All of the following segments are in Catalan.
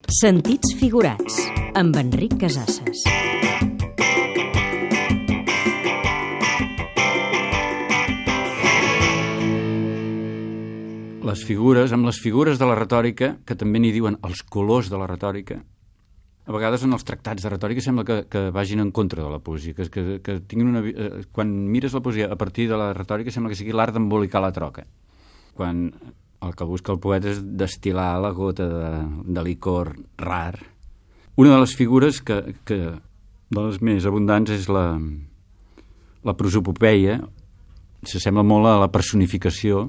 Sentits figurats, amb Enric Casasses. Les figures, amb les figures de la retòrica, que també n'hi diuen els colors de la retòrica, a vegades en els tractats de retòrica sembla que vagin en contra de la poesia, que tinguin quan mires la poesia a partir de la retòrica sembla que sigui l'art d'embolicar la troca. Quan el que busca el poeta és destil·lar la gota de licor rar. Una de les figures de les més abundants és la prosopopeia. S'assembla molt a la personificació,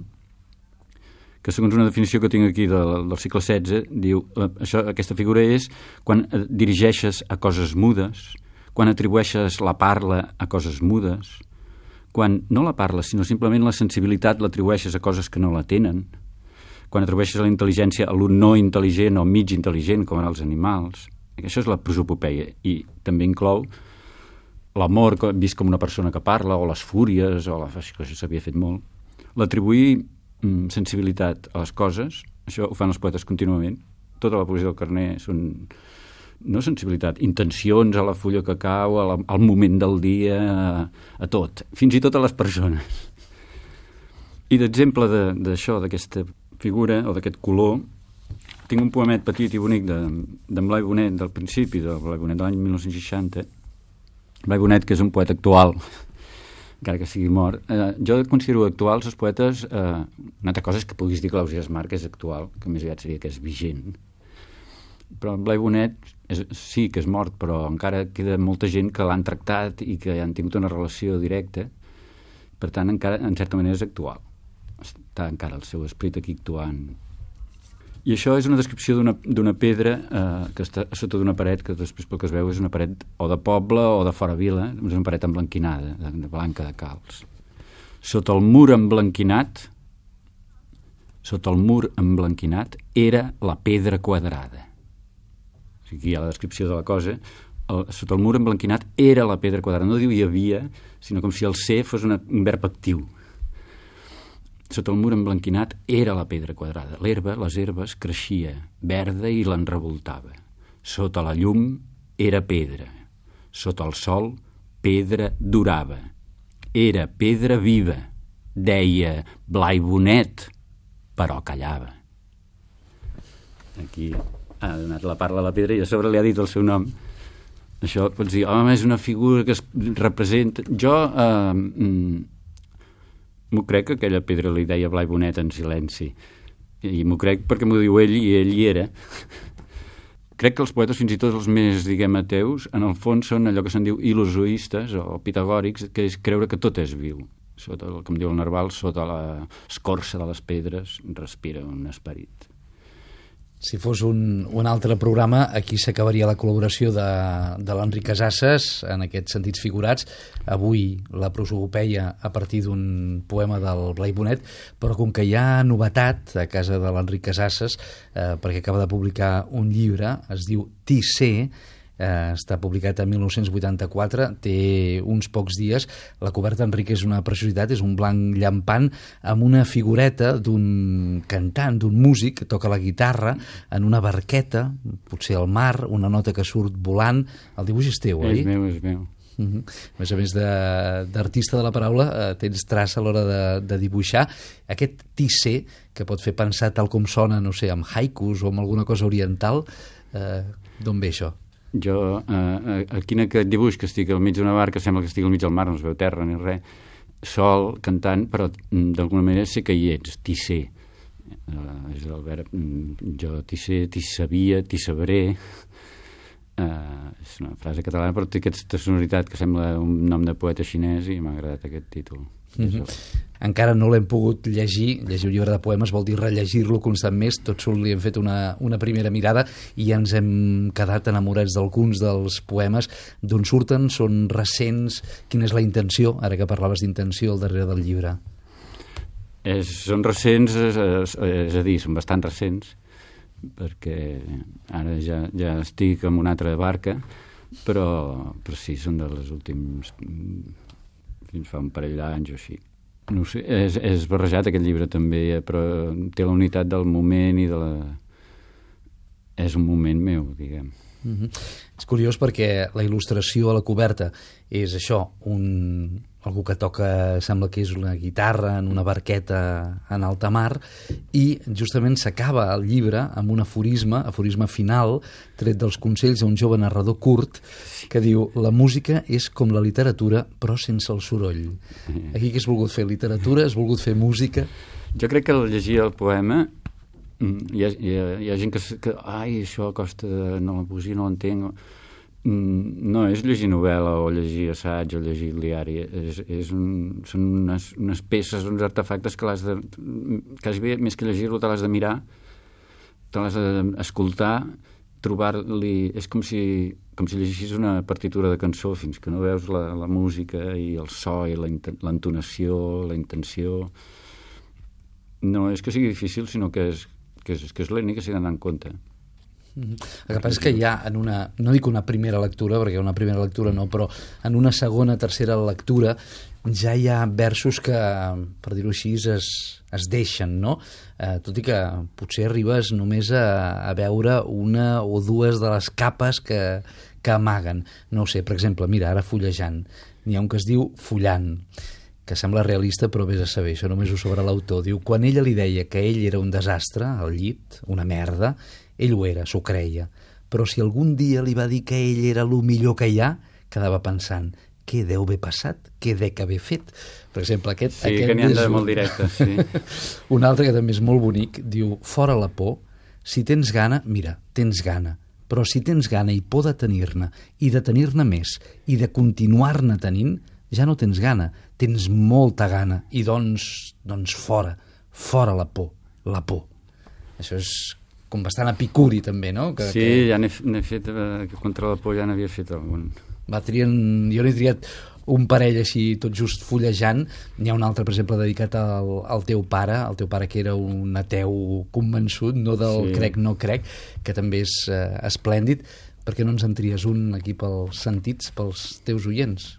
que segons una definició que tinc aquí del segle XVI, diu aquesta figura és quan dirigeixes a coses mudes, quan atribueixes la parla a coses mudes, quan no la parles, sinó simplement la sensibilitat l'atribueixes a coses que no la tenen, quan atribueixes la intel·ligència a lo no intel·ligent o mig intel·ligent, com en els animals. Això és la prosopopeia, i també inclou l'amor vist com una persona que parla, o les fúries, això s'havia fet molt. L'atribuir sensibilitat a les coses, això ho fan els poetes contínuament. Tota la poesia del Carner són no sensibilitat, intencions a la fulla que cau, al moment del dia, a tot, fins i tot a les persones. I d'exemple d'això, d'aquesta figura o d'aquest color, tinc un poemet petit i bonic d'en Blai Bonet, del principi de Blai Bonet, de l'any 1960. Blai Bonet, que és un poeta actual, encara que sigui mort. Jo considero actuals els poetes, una altra cosa és que puguis dir que l'Ausiàs Marc és actual, que més aviat seria que és vigent. Però en Blai Bonet sí que és mort, però encara queda molta gent que l'han tractat i que han tingut una relació directa. Per tant, encara, en certa manera, és actual. Està encara el seu esperit aquí actuant. I això és una descripció d'una pedra que està sota d'una paret, que després pel que es veu és una paret o de poble o de fora vila, és una paret emblanquinada, de blanca de calç. Sota el mur emblanquinat era la pedra quadrada. O sigui, aquí hi ha la descripció de la cosa. Sota el mur emblanquinat era la pedra quadrada. No diu hi havia, sinó com si el ser fos un verb actiu. Sota el mur emblanquinat era la pedra quadrada. Les herbes, creixia verda i l'enrevoltava. Sota la llum era pedra. Sota el sol, pedra durava. Era pedra viva. Deia Blai Bonet, però callava. Aquí ha donat la parla a la pedra i a sobre li ha dit el seu nom. Això pots dir, home, és una figura que es representa... Jo... m'ho crec que aquella pedra li deia Blai Bonet en silenci, i m'ho crec perquè m'ho diu ell i ell hi era. Crec que els poetes, fins i tot els més, diguem, ateus, en el fons són allò que se'n diu ilozoistes o pitagòrics, que és creure que tot és viu. Sota el que em diu el Narval, sota l'escorça de les pedres respira un esperit. Si fos un altre programa, aquí s'acabaria la col·laboració de l'Enric Casasses en aquests sentits figurats. Avui la prosopopeia a partir d'un poema del Blai Bonet, però com que hi ha novetat a casa de l'Enric Casasses, perquè acaba de publicar un llibre, es diu Tissé, està publicat en 1984, té uns pocs dies. La coberta, Enric, és una preciositat, és un blanc llampant amb una figureta d'un cantant, d'un músic que toca la guitarra en una barqueta, potser al mar, una nota que surt volant. El dibuix és teu, oi? És meu. A més d'artista de la paraula, tens traça a l'hora de dibuixar. Aquest tissé, que pot fer pensar tal com sona, no sé, amb haikus o amb alguna cosa oriental, d'on ve això? Jo, aquí en aquest dibuix que estic al mig d'una barca, sembla que estic al mig del mar, no es veu terra ni res, sol, cantant, però d'alguna manera sé que hi ets, tissé. És el verb, jo tissé, tissabia, tissabré. És una frase catalana, però té aquesta sonoritat que sembla un nom de poeta xinès i m'ha agradat aquest títol. Encara no l'hem pogut llegir un llibre de poemes vol dir rellegir-lo constant més, tot sols li hem fet una primera mirada i ens hem quedat enamorats d'alguns dels poemes. D'on surten? Són recents? Quina és la intenció, ara que parlaves d'intenció al darrere del llibre? Són recents, és a dir, són bastant recents, perquè ara ja estic en una altra barca, però sí, són dels últims, fins fa un parell d'anys o així. No sé, és barrejat aquest llibre també, però té la unitat del moment i de la... és un moment meu, diguem. És curiós perquè la il·lustració a la coberta és això, algú que toca, sembla que és una guitarra en una barqueta en alta mar, i justament s'acaba el llibre amb un aforisme final, tret dels consells d'un jove narrador curt, que diu: la música és com la literatura, però sense el soroll. Aquí què has volgut fer? Literatura? Has volgut fer música? Jo crec que al llegir el poema hi ha gent que ai, això costa, no, la poesia no l'entenc. No és llegir novel·la o llegir assaig o llegir diari, són unes peces, uns artefactes que l'has de, quasi bé, més que llegir-lo, te l'has de mirar, te l'has d'escoltar, trobar-li... És com si llegis una partitura de cançó fins que no veus la música i el so i l'entonació, la intenció. No és que sigui difícil, sinó que és l'únic que s'hi ha d'anar en compte. El que passa és que ja en una, no dic una primera lectura, perquè una primera lectura no, però en una segona, tercera lectura ja hi ha versos que, per dir-ho així, es deixen, no? Tot i que potser arribes només a veure una o dues de les capes que amaguen. No ho sé, per exemple, mira, ara fullejant, n'hi ha un que es diu Fullant, que sembla realista, però vés a saber, això només ho sabrà l'autor. Diu: quan ella li deia que ell era un desastre al llit, una merda, ell ho era, s'ho creia. Però si algun dia li va dir que ell era el millor que hi ha, quedava pensant: què deu haver passat? Què dec haver fet? Per exemple, aquest... Sí, que n'hi ha de molt directes, sí. Un altre que també és molt bonic, diu: fora la por, si tens gana, mira, tens gana, però si tens gana i por de tenir-ne, i de tenir-ne més, i de continuar-ne tenint, ja no tens gana, tens molta gana, i doncs fora la por, la por. Això és com bastant epicuri també, no? Sí, ja n'he fet, contra la por ja n'havia fet algun. Jo n'he triat un parell així tot just fullejant. N'hi ha un altre, per exemple, dedicat al teu pare, que era un ateu convençut, no del crec, no crec, que també és esplèndid. Per què no ens en tries un aquí pels sentits, pels teus oients?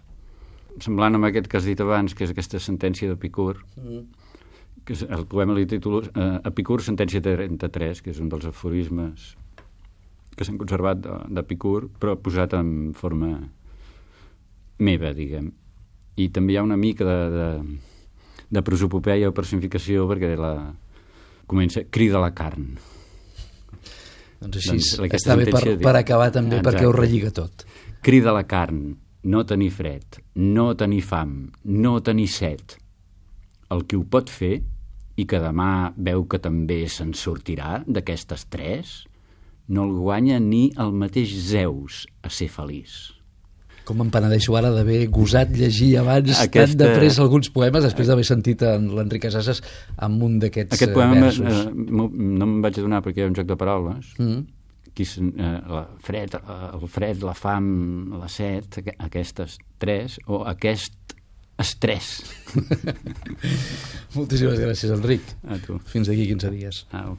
Semblant amb aquest que has dit abans, que és aquesta sentència d'Epicur, que el poema li titulo Epicur, sentència 33, que és un dels aforismes que s'han conservat d'Epicur, però posat en forma meva, diguem. I també hi ha una mica de prosopopeia o personificació, perquè comença crida la carn. Doncs així, està bé per acabar també. Exacte. Perquè ho relliga tot. Crida la carn, no tenir fred, no tenir fam, no tenir set. El que ho pot fer i que demà veu que també se'n sortirà d'aquestes tres, no el guanya ni el mateix Zeus a ser feliç. Com em penedeixo ara d'haver gosat llegir abans tan de pressa alguns poemes, després d'haver sentit l'Enric Casasses amb un d'aquests versos. Aquest poema no me'n vaig adonar perquè hi ha un joc de paraules. El fred, la fam, la set, aquestes tres, o aquest estrès. Moltíssimes gràcies, Enric. A tu. Fins d'aquí 15 dies. Au.